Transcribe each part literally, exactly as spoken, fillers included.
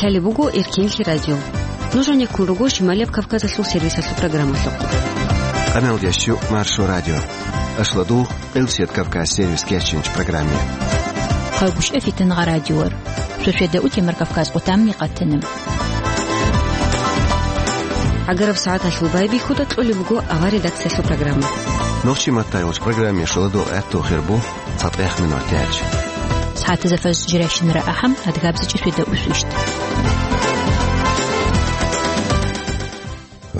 Лъалеб буго Эркенлъи радио. Нуж гьанеккун руго Шималияб Кавказалъул сервисалъул программалъухъ. Къамел ящу Маршо радио. Ашладу Къилсият Кавказ сервис кечинч программе. Хъалгушев Фитнагъа радиор. Шошеда утемар Кавказ къутамни къатанам. Агараб сагӀаталъул байбихьуда кьолеб буго авар редакциялъул программа. Нохчи маттайолч программе шоладо гӀатту хирбу. ЦатӀех минутач. СагӀатазда фажр жирайщинара ахӀам, адгабзичӀи шведа усвищт.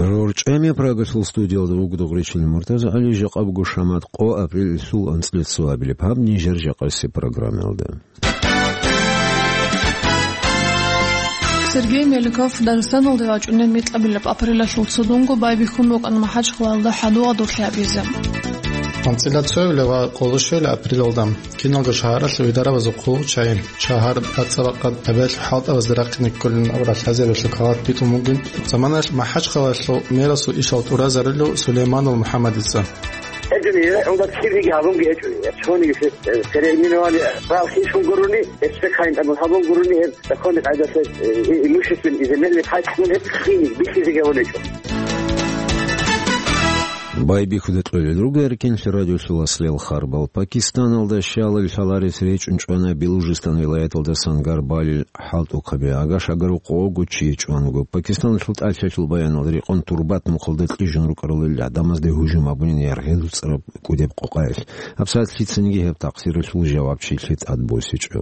РорчӀами Прагалъул студиялда вугода гъуричил Муртаза ГӀали, жакъа буго шамат къо апрель исул анцӀлъи цоабилеб гьаб нижер жакъаси программалда. Сергей Меликов Дагъистаналде вачӀунеб микьабилеб апрелалъул цодунго байбихьун вукӀана МахӀачхъалаялда хӀадугӀа дурлъи гьабизе. АнцӀила цоябилеб ва къолошвелеб апрелалда киналго шагьаралъул идарабазул хъулухъчагӀи шагьар бацӀцӀадаб къад гьабиялъул хӀалтӀабазда рахъине кколин абураб лъазабиялъул калагь битӀун бугин заманалъ МахӀачхъалаялъул мэрасул ишал тӀуразарулев Сулейманов МухӀаммадица. ГьечӀони, гьелда кириги гьабунги гьечӀони, цониги, э, переименование, правил хищун гурони, эссе кайин абун гьабун гурони, гьеб законный къайдалъе, э, имущественный изменник хӀалтӀун гьеб хиник бихьизеги гьабун гьечӀо. Байбихьуда кьолел руго Эркенлъи радиолъул аслияб харбал. Пакистаналда щалал лъаларес речӀун чӀвана Белужистан вилаяталда Сангар балил хӀалтӀухъаби. Агаш-агар къого чи чӀван вуго. Пакистаналъул тӀалъалъул баяналда рекъон турбат мухъалда кьижун рукӀарал гӀадамазде гьужум гьабунин яргъи дуцӀараб кӀудеб къокъаялъ. ГьабсагӀат лъицаниги гьеб такъсиралъул жавабчилъи тӀадбосичӀо.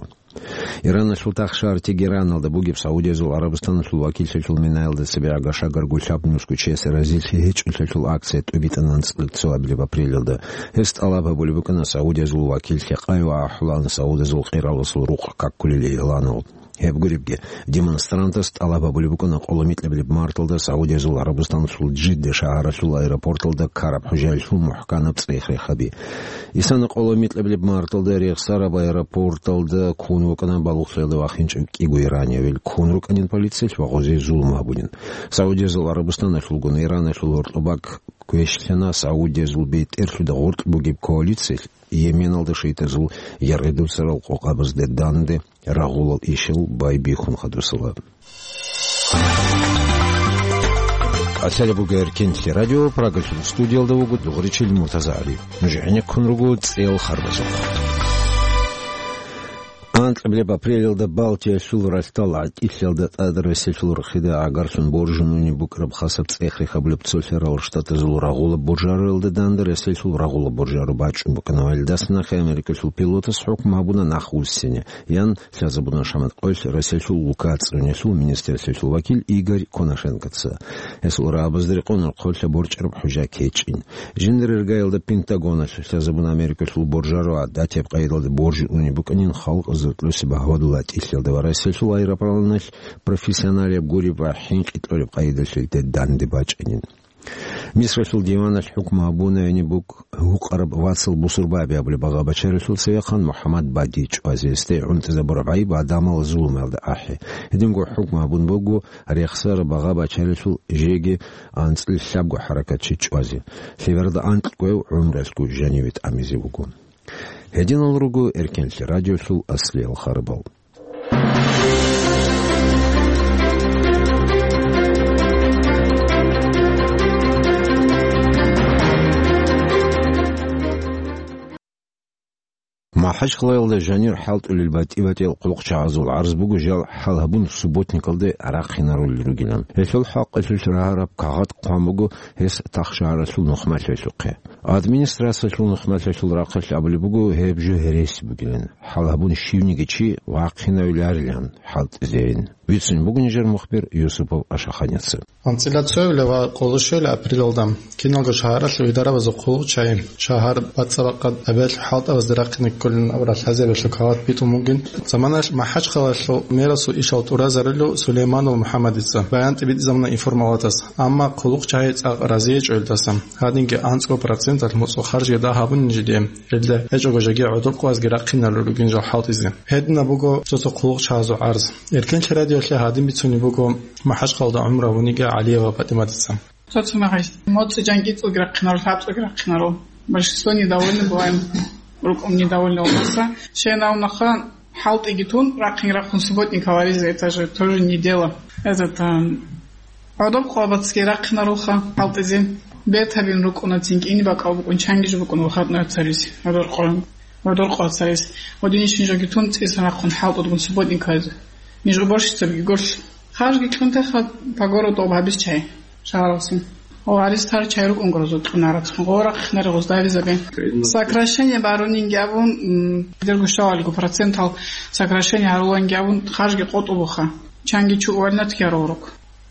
Ираналъул тахшар Тегераналда бугеб Саудиязул ГӀарабстаналъул вакиллъалъул минаялда цебе агаш-агар гулъаб нусго чиясе разилъи гьечӀолъалъул акция тӀубитӀана анцӀила цоабилеб апрелалда. Гьес тӀалаб гьабулеб букӀана Саудиязул вакиллъи къай ва ахӀулаан Саудиязул къираласул рукъ какулел игъланал. Гьеб гуребги, демонстрантас тӀалаб гьабулеб букӀана къоло микьабилеб марталда Саудиязул ГӀарабстаналъул Жидда шагьаралъул аэропорталда ккараб хӀужаялъул мухӀканаб цӀех-рехаби. Исана къоло микьабилеб марталда рехсараб аэропорталда ккун вукӀана балугълъиялда вахинчӀев кӀиго иранияв. Ккун рукӀанин полициялъ ва гъозе зулум гьабунин. Саудиязул ГӀарабстаналъулгун Ираналъул гьоркьобаг квешлъана Саудиязул бетӀерлъуда гъоркь бугеб коалициялъ Йеменалда шайтӀазул яргъи дуцарал къокъабазде данде рагъулал ишал байбихьун хадусала. Лъалеб буго Эркенлъи радио, Прагалъул студиялда вуго дугъричил Муртаза ГӀали. Нуж гӀенеккун руго цӀел харбазухъ. Анкьабилеб апрелалда Балтиялъул ралъдал гӀатӀилъиялда тӀад Россиялъул рахъида гӀагарлъун боржунани букӀараб хасаб цӀех-рехаб гьабулеб Цолъарал Штатазул рагъулаб боржаруялда данде Россиялъул рагъулаб боржару бачӀун букӀана ва гьелдаса нахъе Америкалъул пилотас хӀукму гьабуна нах вуссине, ян лъазабуна шамат къоялъ Россиялъул лукацӀцӀунелъул министрлъиялъул вакил Игорь Коношенкоца. Гьесул рагӀабазда рекъон рохъоблъа борчӀараб хӀужа кечӀин. Жиндир иргаялда Пентагоналъ лъазабуна Америкалъул боржару гӀадатияб къайдалда боржун унеб букӀанин халкъ зуркьуси багьвадул гӀатӀилъиялда ва Россиялъул аэропланалъ профессионалияб гуреб ва хӀинкъи кьолеб къайдалъилде данде бачӀанин. Мисралъул диваналъ хӀукму гьабуна гьениб бук-, гьукъараб Вацал Бусурбаби абулеб багъа бачаралъул цевехъан МухӀаммад Бади чӀвазе, гьесде гӀунтӀизабураб гӀайиб гӀадамал зулумалда ахӀи. Гьединго хӀукму гьабун буго рехсараб багъа бачаралъул жеги анцӀила лъабго хӀаракатчи чӀвазе. Лъеберда анкьго гӀумруялъго жаниве тӀамизе вуго. Гьединал руго Эркенлъи радиолъул аслиял харбал. МахӀачхъалаялда жанир хӀалтӀулел батӀи-батӀиял хъулухъчагӀазул гӀарз буго жал хӀал гьабун субботникалде рахъинарулел ругилан. Гьелъул хӀакъалъулъ рагьараб кагъат хъван буго гьес тахшагьаралъул нухмалъиялъухъе. Администрациялъул нухмалъиялъул рахъалъ абулеб буго гьеб жо гьереси бугилан, хӀал гьабун щивниги чи вахъинавиларилан хӀалтӀизейин. Вицун буго нижер мухбир Юсупов Ашаханица. АнцӀила цоябилеб ва къолошвелеб апрелалда киналго шагьаралъул идарабазул хъулухъчагӀи шагьар бацӀцӀадаб къад гьабиялъул хӀалтӀабазда рахъине кколин абураб лъазабиялъул калагь битӀун бугин заманалъ МахӀачхъалаялъул мэрасул ишал тӀуразарулев Сулейманов МухӀаммадица баян тӀибитӀизабуна информалатас, амма хъулухъчагӀи цӀакъ разиячӀо гьелдаса. Гьадинги анцӀго проценталъ моцӀо харжги дагь гьабунин жидее, гьелда гьечӀого жеги гӀодор къвазги рахъинарулел ругин жал хӀалтӀизе. Гьединаб буго цо-цо хъулухъчагӀазул гӀарз. Эркенлъи радиоялъе гьадин бицунеб буго МахӀачхъалаялда гӀумру гьабуниги ГӀалиева ПатӀиматица. Цо-цо мехалъ моцӀи жанги цӀуги рахъинарул, лъабцӀуги рахъинарул. Большинство недовольны бываем. РукӀун недовольны у нас. Щай гьавунаха, хӀалтӀиги тун, рахъин-рахъун субботник гьаризе, это же тоже неделя. Этот, а, гӀодор къоабацги рахъинарулха хӀалтӀизе. Бертабин рукӀуна цинги, ини бакӀал букӀун, чанги жо букӀун выходной царизе. ГӀодор къо-, гӀодор къо царизе. Гьодинищ нижеги тун цӀисан рахъун хӀалтӀудгун субботник гьаризе. Ниж уборщицабиги гурлъ. Харжги кьун теха по городу об гьабиз чай. Шагьаралсин. О, гьариз тар чай рукӀун гуро зо кьунарацун. Гъора хъинари гъоздаризабе. Сокращение барунинги абун, м, дирго щалалго процентал сокращение гьаруланги абун, харжги къотӀубуха. Чанги чу увольнять гьарулрук.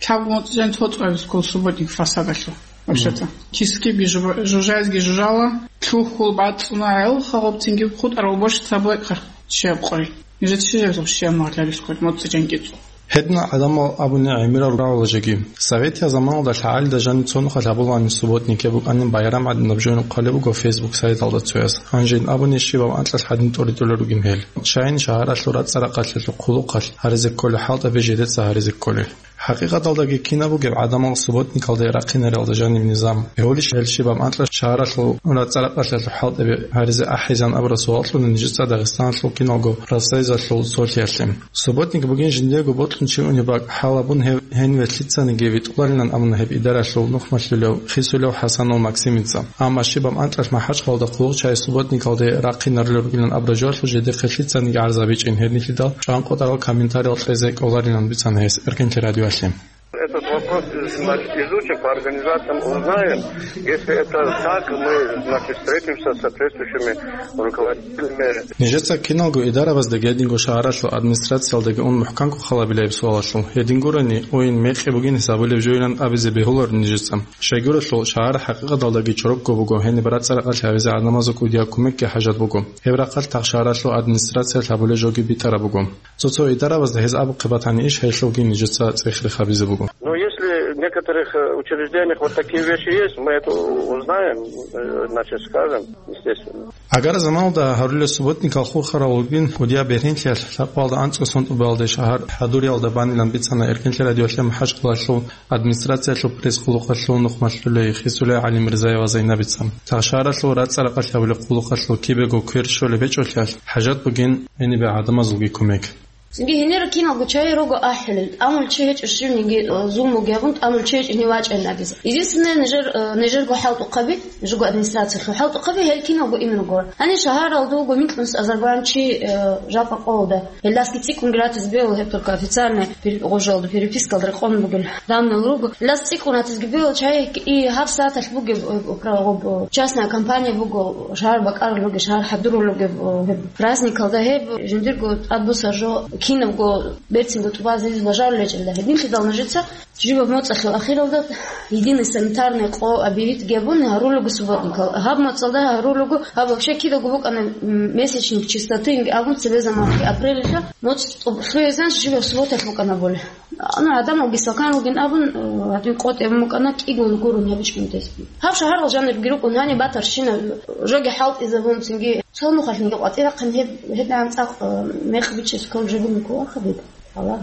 Лъабго моцӀ жан цо цӀвабиз ккол субботник фасадалъу. Вообще-то. Кискиби жу-, жужазги жужала, лъухьул бацӀцӀуна гӀел хагъубцинги хутӀарал бошицаб лайкъа. Щиб къой. Нижеца щиб жавзал щиб магӀлалис ккол моцӀ жан кицӀу. Гьедна гӀадамал абуни гӀемерал рагӀула жеги. Советиял заманалда лъагӀалида жанив цо нухалъ гьабулани субботникеб букӀанин байрам гӀадинаб жо нухъалеб буго Facebook сайталда цояс. Гьанжин абуни щибаб анкьалъ гьадин тӀоритӀулел ругин гьел. Щайин шагьаралъул рацӀцӀа-ракъалъалъул хъулухъалъ гьаризе кколел хӀалтӀаби жидеца гьаризе кколел. ХӀакъикъаталдаги кинаб бугеб гӀадамал субботникалде рахъинарелда жаниб низам? Гьолищ гьел щибаб анкьа шагьаралъул рацӀцӀа-ракъалъалъул хӀалтӀаби гьаризе ахӀизан абураб суал кьуна нижеца Дагъистаналъул киналго Россиялъул цолъиялъе. Субботник бугин жиндиего бокьун чи унеб бакӀ, хӀалабун гьев гьениве лъицаниги витӀуларилан абуна гьеб идаралъул нухмалъулев, хисулев ХӀасанов Максимица. Амма щибаб анкьалъ МахӀачхъалда хъулухъчагӀи субботникалде рахъинарулел ругилан абураб жоялъул жидехъе лъицаниги гӀарз гьабичӀин, гьединлъидал чӀванкъотӀарал комментариялъ кьезе кӀоларилан бицана гьес Эркенлъи радиоялъе. Этот вопрос, значит, изучим, по организациям узнаем. Если это так, мы, значит, встретимся с соответствующими руководителями. Нижеца киналго идарабаздаги гьединго шагьаралъул администрациялдаги ун мухӀканго халабилеб суалалъул. Гьедин гурани, ойин мекъи бугин гьисабулеб жойилан абизе бегьуларо нижеца. Щайгурелъул, шагьар хӀакъикъаталдаги чорокго буго, гьениб рацӀцӀа-ракъалъ гьавизе гӀадамазул кӀудияб кумекги хӀажат буго. Гьеб рахъалъ тахшагаралъул администрациялъ гьабулеб жоги битӀараб буго. Цо-цо идарабазда гьез абухъе батани иш, гьелъулги нижеца цӀех-рех гьабизе буго. Но если в некоторых, э, учреждениях вот такие вещи есть, мы это узнаем, э, значит, скажем, естественно. Агар заманалда гьарулел субботникал хурхарал вугин, кӀудияб бергьенлъиялъ лъабкъоялда анцӀго сон тӀубалде шагьар хӀадуриялда банилан бицана Эркенлъи радиоялъе МахӀачхъалалъул администрациялъул пресс-къулухъалъул нухмалъулей хисулей ГӀалимирзаева Зайнабица. Тахшагаралъул рацӀцӀа-ракъалъ гьабулеб къулухъалъул кибего квер щолеб гьечӀолъиялъ, хӀажат бугин гьенибе гӀадамазулги кумек. Цинги гьенир киналго чагӀи руго ахӀилел, тӀамул чи гьечӀо щивниги, э, зулмуги гьабун, тӀамул чи гьечӀо гьенив вачӀайин абизе. Единственное, нижер, э, нижерго хӀалтӀухъаби, жуго администрациялъул хӀалтӀухъаби, гьел киналго ин руго. Гьанир шагьаралда вуго микьнус азарбан чи, э, жапа къолда. Гьелдасги цӀикӀкӀун гратиз бегьула гьеб только официальный пер-, гъожалда, перепискалда рекъон бугел данныял руго. Гьелдас цӀикӀкӀун гратизги бегьула чагӀи, и гьаб сагӀаталъ бугеб, э, управ-, частная компания буго, шагьар бакӀарулеб, шагьар хӀадурулеб, э, гьеб праздникалда гьеб жиндирго тӀадбуссараб жо кинабго берцинго тӀубазе лажарулел гьечӀелда. Гьединлъидал нужеца жибаб моцӀалъул ахиралда единый санитарный къо объявить гьабун гьарулего субботникал. Гьаб моцӀалда гьарулего, гьаб вообще кидаго букӀана, м, месячник чистоты абун цебе заманги апрелалъа моцӀ тӀуб-, лъугьезан жибаб субботалъ букӀана боли. Ну, гӀадамалги сакан ругин абун, э, гьадин къотӀи абун букӀана, кӀигун гурун гьабичӀунтез. Гьаб шагьарал жанирги рукӀун гьаниб батарщина жоги хӀалтӀизабун цинги цо нухалъинги къватӀирахъин гьеб, гьедигӀан цӀакъ, э, мекъ бичес ккол жо бугин ккола хадуб. Гьала.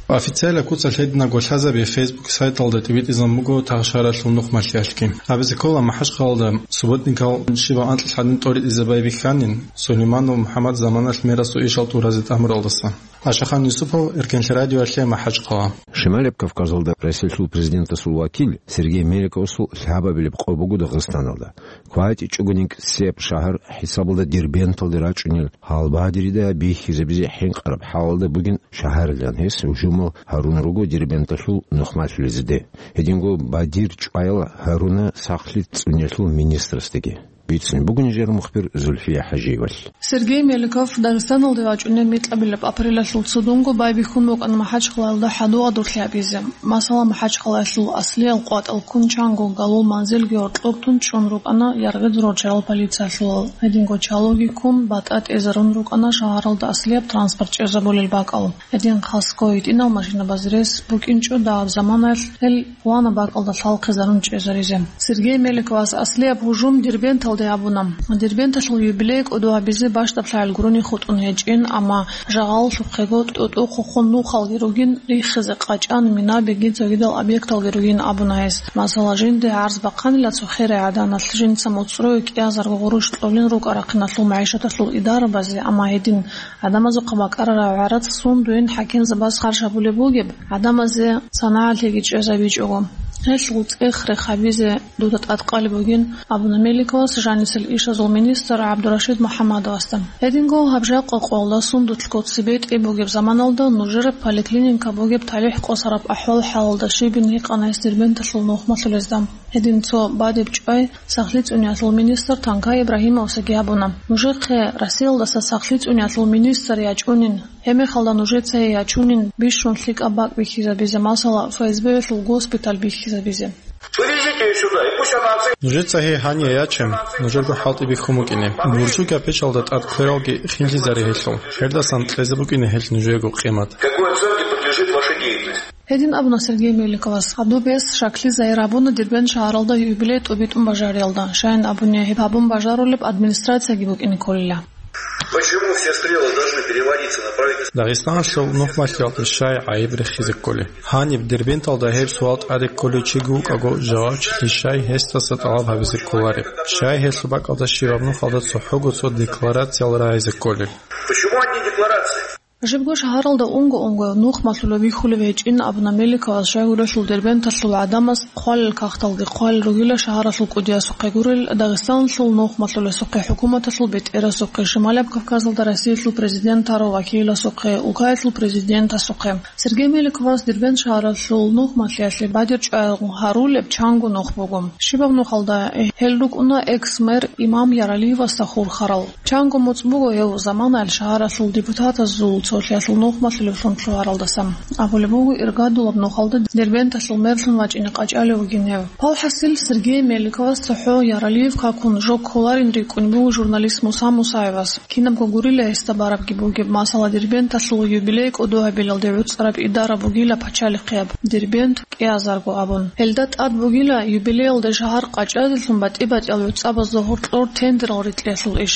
Официалаб куцалъ гьединабго лъазаби Facebook сайталда тӀибитӀизабун буго тахшагаралъул нухмалъиялъги. Абизе ккола МахӀачхъалалда субботникал щибаб анкьалъ гьадин тӀоритӀизабай бихьанин, Сулейманов МухӀаммад заманалъ мерасул ишал тӀуразе тӀамуралдаса. Ашахан Юсупов, Эркенлъи радиоялъе, МахӀачхъала. Шималаб Кавказалда Россиялъул президентасул вакил Сергей Меликовасул лъабабилеб къо буго Дагъистаналда. КватӀичӀого никсияб шагьар хӀисабалда Дербенталде рачӀунел гьалбадерида бихьизабизе хӀинкъараб хӀалалда бугин шагьарилан гьес гьужумал гьарун руго Дербенталъул нухмалъулезеде. Гьединго бадир чӀваял гьаруна сахлъи цӀунелъул министрасдаги. Бицин буго нижер мухбир Зульфия ХӀажиевалъ. Сергей Меликов Дагъистаналде вачӀунеб микьабилеб апрелалъул цодонго байбихьун букӀана МахӀачхъалаялда хӀадур-гъадурлъи гьабизе. Масала, МахӀачхъалаялъул аслиял къватӀал ккун чанго галул манзилги гьоркьоб тун чӀун рукӀана яргъида рорччарал полициялъулал. Гьединго чалуги ккун, батӀа тӀезарун рукӀана шагьаралда аслияб транспорт чӀезабулел бакӀал. Гьедин хасго гьитӀинал машинабаз рес букӀинчӀо дагьаб заманаялъ гьел хъвана бакӀалда лъалхъизарун чӀезаризе. Сергей Меликовас аслияб гьужум Дербентал Абуна. Дербенталъул юбилей кӀодо гьабизе бащдаб лъагӀел гурони хутӀун гьечӀин, амма жагъаллъухъего тӀутӀухъухъун нухалги ругин, риххизе къачӀан, минабиги цогидал объекталги ругин абуна гьес. Масала, жинде гӀарз бахъанила цо херай гӀаданалъ, жинца моцӀрое кӀиазарго гъурущ кьолин рукӀа-рахъиналъул магӀишаталъул идарабазе, амма гьедин гӀадамазухъа бакӀарараб гӀарац сундуе хӀакимзабаз харж гьабулеб бугеб, гӀадамазе санагӀалъиги чӀезабичӀого. Гьелъул цӀех-рех гьабизе дуда тӀадкъалеб бугин, абуна Меликовас жанисел ишазул министр ГӀабдурашид МухӀаммадовасда. Гьединго гьаб жакъа къоялда сундулъго цебетӀи бугеб заманалда нужер поликлиника бугеб талихӀ къосараб ахӀвал-хӀалалда щибин гьикъана гьес Дербенталъул нухмалъулезда. Гьедин цо бадиб чӀвай сахлъи цӀуниялъул министр Танкай Ибрагьимовасаги абуна: «Нужехъе Россиялдаса сахлъи цӀуниялъул министр ячӀунин, гьебмехалда нужеца гьей ячунин бищун лъикӀаб бакӀ бихьизабизе, масала, ФСБ-ялъул госпиталь бихьизабизе». Привезите её сюда, и пусть она оценит. Нужеца гьей гьание яче, нужерго хӀалтӀи бихьун букӀине. Буржу капечалда тӀад квералги хинлъизаре гьелъул. Гьелдасан кьезе букӀине гьелъ нужего къимат. Какой оценке подлежит ваша деятельность? Гьедин абуна Сергей Меликовас. Гьаб бес щаклъи загьир гьабуна Дербент шагьаралда юбилей тӀубитӀун бажариялда. Щайин абуни, гьеб гьабун бажарулеб администрацияги букӀине кколила. Почему все стрелы должны переводиться на правительство? Дагъистаналъул нухмалъиялда щай гӀайиб рехизе кколеб? Гьаниб Дербенталда гьеб суал тӀаде кколев чиги вукӀаго, жавабчилъи щай гьесдаса тӀалаб гьабизе кколареб? Щай гьелъул бакӀалда щибаб нухалда цохӀого цо декларациял рагӀизе кколел? Почему одни декларации? Жибго шагьаралда унго-унго нухмалъулеб бихьулеб гьечӀин абуна Меликовас, щайгурелъул Дербенталъул гӀадамаз хъвалел кагъталги хъвалел ругила шагьаралъул кӀудиясухъе гурел, Дагъистаналъул нухмалъулесухъе, хӀукуматалъул бетӀерасухъе, Шималаб Кавказалда Россиялъул президент гьарав вакиласухъе, улкаялъул президентасухъе. Сергей Меликовас Дербент шагьаралъул нухмалъиялъе бадиб чӀваялъ гьарулеб чанго нух буго. Щибаб нухалда гьел рукӀуна экс-мэр имам Яралиевасда хурхарал. Чанго моцӀ буго гьев заманаялъ шагьаралъул депутатазул цолъиялъул нухмалъулевлъун лъугьаралдасан. Абулеб буго, иргадулаб нухалда Дербенталъул мерлъун вачӀине къачӀалев вугин гьев. Валхасил, Сергей Меликовас цохӀо Яралиев какун жо кколарин рикӀкӀун буго журналист Муса Мусаевас. Кинабго гурила гьесда барабги бугеб, масала, Дербенталъул юбилей кӀодо гьабилалде гӀуцӀараб идара бугила пачалихъияб, Дербент кӀиазарго абун. Гьелда тӀад бугила юбилеялда шагьар къачӀазелъун батӀи-батӀиял гӀуцӀабазда гьоркьор тендерал рикьриялъул иш.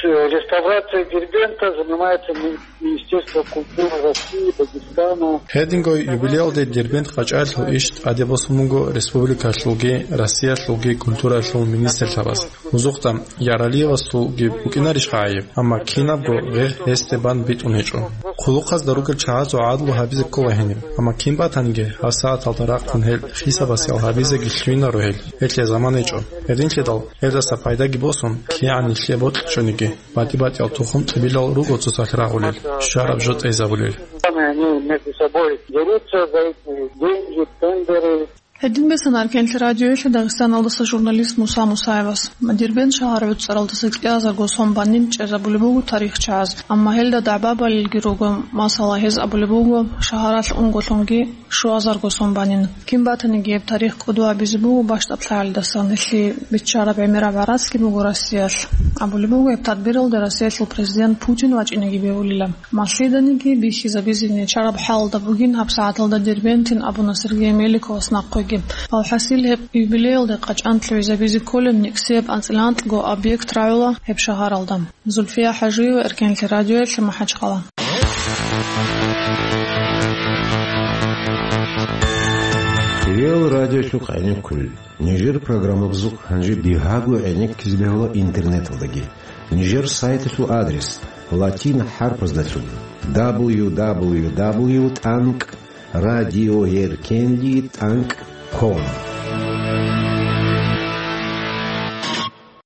Реставрацией Дербента занимается Ми-, Министерство культуры России, Дагестана. Гьединго юбилеялде Дербент къачӀалъул иш тӀаде босун буго республикалъулги Россиялъулги культуралъул министрлъабаз. Гьезухъа Яралиевасулги букӀинарищха гӀайиб, амма кинабго гъегъ гьесде бан битӀун гьечӀо. Хъулухъазда ругел чагӀазул гӀадлу гьабизе ккола гьениб, амма кин батаниги, гьабсагӀаталда рахъун гьел хисабасел гьабизеги лъугьинаро гьел, гьелъе замана гьечӀо. Гьединлъидал, гьелдаса пайдаги босун, кигӀан нилъее бокьичӀониги, батӀи-батӀиял тухум-тӀибилал руго цоцалъ рагъулел, щвараб жо тӀезабулел. Они между собой дерутся за эти деньги, тендеры. Гьедин бицана Эркенлъи радиоялъе Дагъистаналдаса журналист Муса Мусаевас. Дербент шагьар гӀуцӀаралдаса кӀиазарго сон банин чӀезабулеб буго тарихчагӀаз, амма гьелда дагӀба балелги руго, масала, гьез абулеб буго, шагьаралъ унголъунги щуазарго сон банин. Кин батаниги гьеб тарих кӀодо гьабизе буго бащдаб лъагӀалдасан, гьелъие биччараб гӀемераб гӀарацги буго Россиялъ. Абулеб буго, гьеб тадбиралда Россиялъул президент Путин вачӀинеги бегьулила. Малъиданиги бихьизабизе начараб хӀалда бугин гьабсагӀаталда Дербентин абуна Сергей Меликовас нахъеги. Алхасил, гьеб юбилеялда къачӀан лъугӀизабизе кколеб никсияб анцӀила анкьго объект рагӀула гьеб шагьаралда. Зульфия ХӀажиева, Эркенлъи радиоялъе, МахӀачхъала. Реал радиолъухъ гӀенеккулел. Нижер программабазухъ гьанже бигьаго гӀенеккизе бегьула интернеталдаги. Нижер сайталъул адрес латин хӀарпаздалъун: дабл ю дабл ю дабл ю тӀанкӀ радиоеркенлъи тӀанкӀ ком.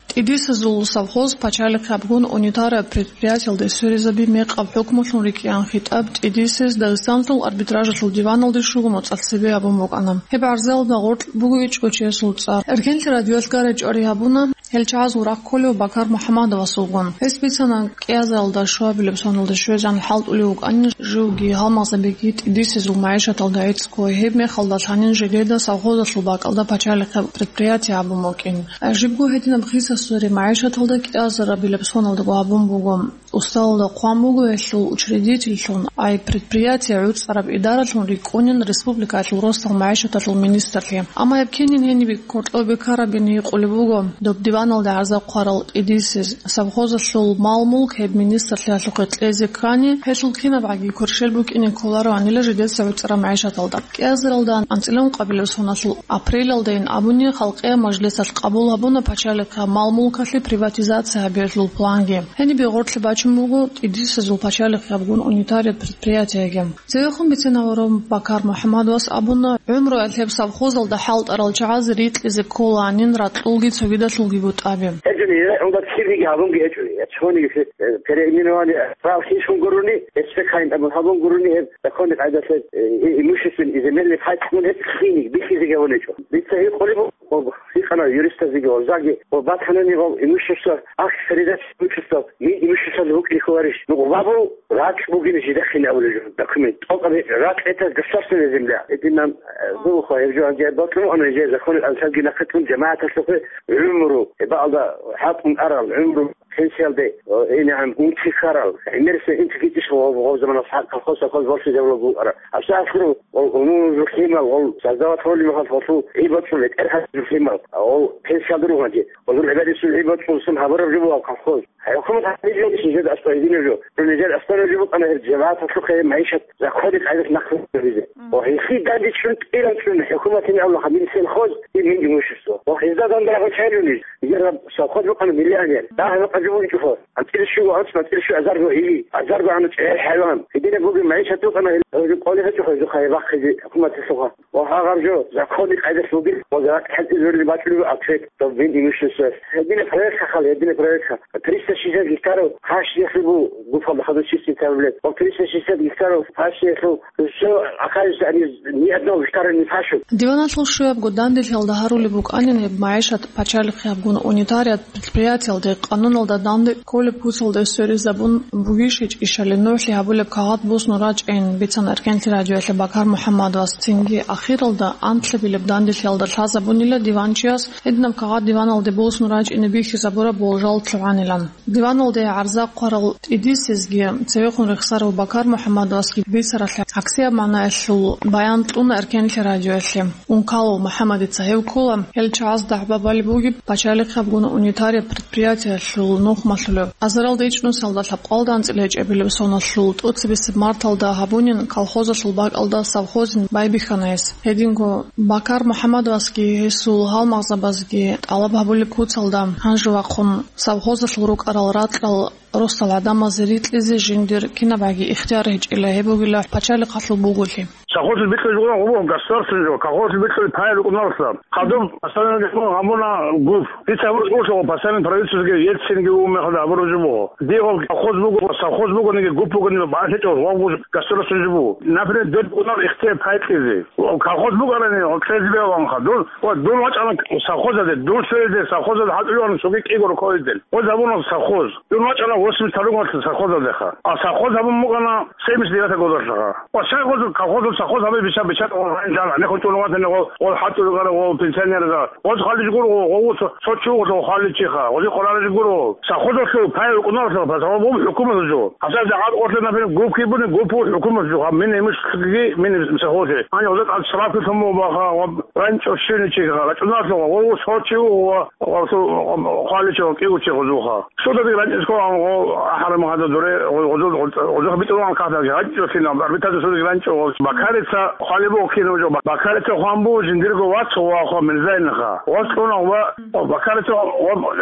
ТӀидисезул совхоз пачалихъ абгун унитараб предприятиялде сверизаби мекъаб хӀукмулъун рикӀкӀиан хитӀаб ТӀидисез Дагъистаналъул арбитражалъул диваналде щуго моцӀалъ цебе гьабун букӀана. Гьеб гӀарзалда гъоркь буго ичӀго чиясул цӀар. Эркенлъи радиоялъ гара чӀвари гьабуна, гьел чагӀазул рахъ кколев Бакар МухӀаммадовасулгун. Гьес бицана, кӀиазаралда щуабилеб соналда щвезегӀан хӀалтӀулев вукӀанин живги гьалмагъзабиги тӀидисезул магӀишаталда гӀицӀго, гьеб мехалда лъанин жидеда совхозалъул бакӀалда пачалихъе предприятие абун букӀин. Жибго гьединаб хиса-сури магӀишаталда кӀиазарабилеб соналдаго гьабун буго. Усталда хъван буго гьелъул учредительлъун, ай предприятие гӀуцӀараб идаралъун рикӀкӀунин республикаялъул росдал магӀишаталъул министрлъи. Амма гьеб кинин гьениб кколеб бекарабин гьикъулеб буго, доб диваналде гӀарза хъварал тӀидисез. Совхозалъул мал-мулк гьеб министрлъиялъухъе кьезе ккани, гьелъул кинабгӀаги кверщел букӀине кколароанила жидеца гӀуцӀараб магӀишаталда. КӀиазаралда анцӀила ункъабилеб соналъул апрелалдайин абуни, халкъиял мажлисалъ къабул гьабуна пачалихъа мал-мулкалъе приватизация гьабиялъул планги. Гьениб гъорлъе бачун буго тӀидисезул пачалихъ гьабгун унитария предприятиеги. Цевехун бицен аварав Бакар МухӀаммадовас абуна, гӀумруялъ гьеб совхозалда хӀалтӀарал чагӀаз рикьизе кколаанин ракьулги цогидалъулги бутӀаби. ГьечӀони, гьелда кириги гьабунги гьечӀони, я цониги, э, переименование, прав хищун гурони, эсбекайин абун гьабун гурони, гьеб законный къайдалъе, э, и имущественный, и земельный пай кьун гьеб хиник, бихьизеги гьабун гьечӀо. Дица гьикъулеб буго, гьикъана юристазеги, гьозаги, ва батанани гьав имущество, акт передачи имущества, мин имуществоялда букӀине кколарищ? Ну, гъабу ракь бугин жидехъин абулеб жо, документ. ТӀокӀаб ракь это государственная земля. Эдинан, э, гуха гьеб жо гьанже батун ана же законы алсалги нахъе кьун жамагӀаталъухъе гӀумру, э, баалда хӀакъун арал гӀумру пенсиялде, э, инегӀан унти ккарал, гӀемерисеб интиги иш гъов-, гъов заманалъ хӀакъ колхоз, колхоз борщи жаваб букӀара. Абса ахиру, гъов, гъов, гъов, гъимал, гъов, создавать гьолимахал гъолъул гӀибацӀул бетӀер гьаб гӀимал, гъов пенсиялда ругьанчи. Гъозул гӀибадатсул гӀибадатсулсан гьабураб жо бугеб колхоз. ХӀукумат гьабизе жо, нижер аскӀор гьединаб жо. Нижер аскӀор жо букӀана гьеб жамагӀаталъухъе гьеб магӀишат закони къайдалъ нахъе гьабизе. Ва гьесие данде чӀун тӀиран чӀун хӀукуматин абула гьабил сельхоз, и мин имущество. Ва гьезда данде рагъ чӀайилан ниж. Нижер гьаб совхоз букӀана миллионер. Дагьаб къажу бугичӀо. АнцӀила щуго анцӀ, анцӀила щуго азарго или, азарго ана чӀегӀер хӀайван. Гьединаб бугеб магӀишат букӀана гьел. Гьезул кӀолеб гьечӀо гьезухъа гьеб бахъизе хӀукуматалъухъа. Ва гьагъаб жо, закони къайдалъ бугеб, ва гьакъ хӀалтӀизабулеб бачӀулеб акцент, доб мин имущество. Гьединаб проект хахал, гьединаб проект ха. Триста шестьдесят гектаров пашниялъул бу-, буфалда хадур чистый тавлет. Ва триста шестьдесят гектаров пашниялъул всё оказывается, они ни одного гектара не пашут. Диваналъул щуябго данделъиялда гьарулеб букӀанин гьеб магӀишат пачалихъ гьабгун унитариат предприятиялде къануналда данде кколеб куцалде сверизабун бугищ гьечӀищали НухӀлъи гьабулеб кагъат босун рачӀин, бицана Эркенлъи радиоялъе Бакар МухӀаммадовас. Цинги ахиралда анлъабилеб данделъиялда лъазабунила диванчияс гьединаб кагъат диваналде босун рачӀине бихьизабураб болжал лъугӀанилан. Диваналде гӀарза хъварал тӀидисезги цевехун рехсарав Бакар МухӀаммадовасги бицаралъе гӀаксияб магӀнаялъул баян кьуна Эркенлъи радиоялъе. Ункалов МухӀаммадица гьев ккола, гьел чагӀаз дагӀба балеб бугеб пачалихъ гьабгун унитарияб предприятиялъул нухмалъулев. Азаралда ичӀнусиялда лъабкъоялда анцӀила гьечӀебилеб соналъул тӀоцебесеб марталда гьабунин колхозалъул бакӀалда совхозин байбихьана гьес. Гьединго Бакар МухӀаммадовасги гьесул гьалмагъзабазги тӀалаб гьабулеб куцалда гьанже вахъун совхозалъул рукӀарал ракьал росдал гӀадамазе рикьизе жиндир кинабгӀаги ихтияр гьечӀила, гьеб бугила пачалихъалъул буголъи. Совхозалъул бикьулеб жо гъо-, гъо-, государственный жо, колхозалъул бикьулеб пай рукӀуналъа. Хадуб постановление гьабуна ГУП. Дица гьабураб жо буго, постановление правительствоги, Ельцинги вугеб мехалда гьабураб жо буго. Дие гъо колхоз буго, совхоз бугониги, ГУП бугониги, бакӀалъе гьечӀо, гъо-, гъо-, государственный жо буго. Например, дир букӀунеб ихтияр пай кьезе. Колхоз бугони, гъо, кьезе бегьулаанха. Дун, ва дун вачӀана совхозалде, дун цониги совхозалде хӀалтӀулев вугони цоги кӀиго рокъовидел. Гъоз гьабуна совхоз. Дун вачӀана восемьдесят второй год совхозалдеха. А совхоз гьабун букӀана семьдесят девятый годалъха. Ва щай гъоз колхозул совхоз гьабизе бича-, бича-, гьанже гьанехун чӀун ватани гъо-, гъол хӀалтӀулел гъо-, гъол пенсионерза. Гъоз хвалилищ гуро гъо-, гъо-, цо-, цо чи вуго хвалиличиха. Гъозе къварилищ гуро. Совхозалъул пай рукӀуналъа, пасалъ буго хӀукуматалъул жо. ГьабсагӀат гъорлъе, например, ГУП бугони, ГУП хӀукуматалъул жо. Гьаб мин имуществоги, мин совхозе. Гьанже гъозе тӀад штраф лъун буго баха, ва ранчӀо щивни чи ха, рачӀуналъа, гъо-, гъо-, цо чи вуго, ва гъо-, гъо-, хвалилищ гъо-, кӀиго чи гъозулха. Судалги ранчӀизе ккола гъо ахӀараб мехалда дуре гъо-, гъозул-, гъозулъ битӀулаан кагъталги гьанчӀо кинаб, арбитражда судалги ранчӀо гъо. Бакарица хвалеб буго кинаб жо, Бакарица хъван буго жиндирго вац гъо вахъа Мирзайинаха. Гъос кьуна ва, ва Бакарица ва,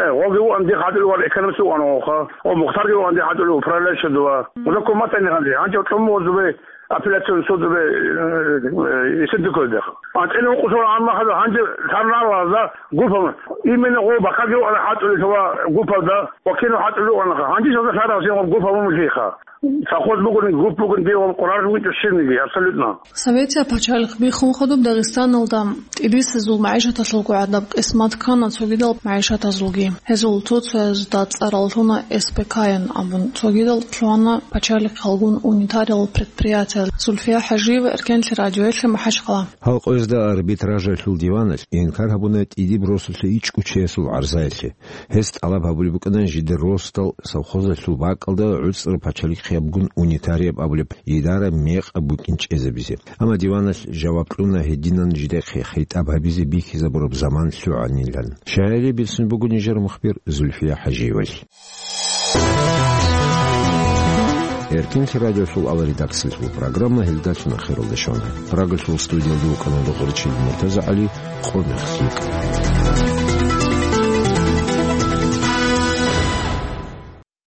э, гъоги вугӀан дихъ гьатӀулев вара экономист вугӀан гъоха. Ва Мухтарги вугӀан дихъ гьатӀулев управляющий дова. Гъоза куматани гьанже, гьанже кьун буго зубе. Апелляцион судалда, э, э, Сибдукалда. АнцӀила ункъо соналъ гьанже лъарнаралазда гупал, именно гъо бакаги вукӀана хӀалтӀулел ва гупалда, ва кино хӀалтӀулел вукӀанаха. Гьанже шалда лъаралъин гъоб гупал мун лъиха. Совхоз бугони, гуп бугони, дие гъоб къваригӀараб гьечӀо щибниги, абсолютно. Советияб пачалихъ биххун хадуб Дагъистаналда тӀибисезул магӀишаталъулго гӀадаб къисмат ккана цогидал магӀишатазулги. Гьезул цо-цоязда цӀарал лъуна С П К-ян абун, цогидал лъугьана пачалихъалгун унитариялъул предприятиял. Зульфия ХӀажиева, Эркенлъи радиоялъе, МахӀачхъала. Гьал къоязда арбитражалъул диваналъ инкар гьабуна тӀидиб росулъа ичӀго чиясул гӀарзаялъе. Гьес тӀалаб гьабулеб букӀана жидер росдал совхозалъул бакӀалда гӀуцӀраб пачалихъ гьабун унитарияб абулеб идара мекъаб букӀин чӀезабизе. Амма диваналъ жаваб кьуна гьединан жидехъе хитӀаб гьабизе бихьизабураб заман лъугӀанилан. Щайилеб бугин нижер мухбир Зульфия ХӀажиевалъ. Эркенлъи радиолъул редакциялъул программа гьелдалъун ахиралде щвана. Прагалъул студиялда вукӀана Догъоричил МуртазагӀали, къо мехлъи.